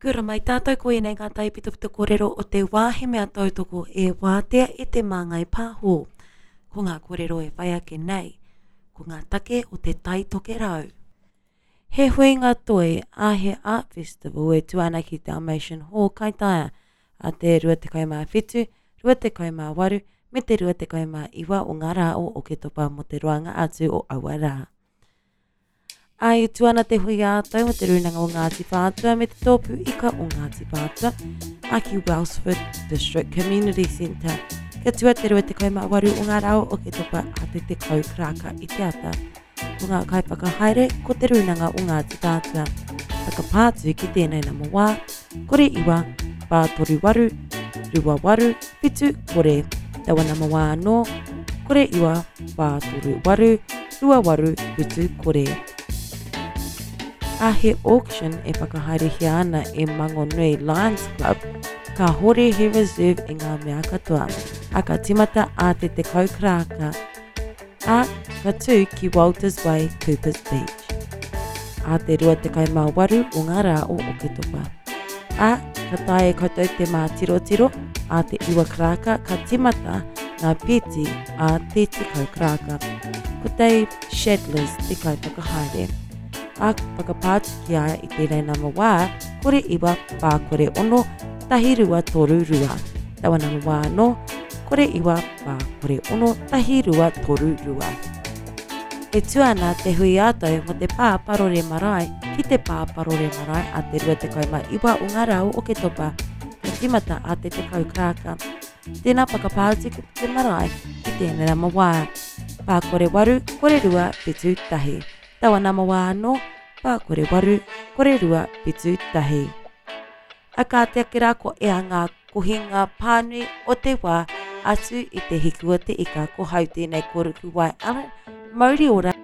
Kia ora mai tātou, ko ēnei ngā taipitopito kōrero o te wā he mea tautoko e wātea e Te Māngai Pāho. Ko ngā kōrero e whai ake nei, ko ngā take o te Tai Tokerau. He huinga toi a He Art Festival e tū ana ki Dalmatian Hall, Kaitaia, a te 27, 28 me te 29 o ngā rā o Oketopa mō te roanga atu o aua rā. Ā, e tū ana te hui ā-tau o Te Rūnanga o Ngāti Whātua me Te Tōpū Ika o Ngāti Whātua, ā, ki Wellsford District Community Centre. Kia tua te 28 o ngā rā o Oketopa ā te 10 karaka i te ata. Ko ngā kaiwhakahaere ko Te Rūnanga o Ngāti Whātua. Whakapā atu ki tēnei nama wā, 09 438 28 70. Taua nama wā anō, 09 438 2870. A he auction e whakahaerehia ana e Mangonui Lions Club, kāhore he reserve i ngā mea katoa, a ka timata a te 10 karaka, a ka tū ki Walters Way, Coopers Beach. A te 28 o ngā rā o Oketopa. A ka taea e koutou te mātirotiro, a te 9 karaka ka timata ngā pēti a te 10 karaka. Ko Dave Shadlers te kaiwhakahaere. A whakapā atu ki a ia i tēnei nama wā, 09 406 1232. Taua nama wā anō, 09 406 1232. E tū ana te hui ā-tau mō te Pā Parore Marae ki te Pā Parore Marae a te 29 o ngā rā o Oketopa, ka tīmata a te 10 karaka. Tēnā whakapā atu ki te marae ki tēnei nama wā. Pā kore waru, kore rua, whitu tahi. Taua nama wā anō, pā kore waru, kore rua, whitu tahi. A kāti ake rā ko ea ngā kohinga pānui o te wā atu i te hiku o te ika ko hau tēnei ko Rukuwai Allen, mauri ora.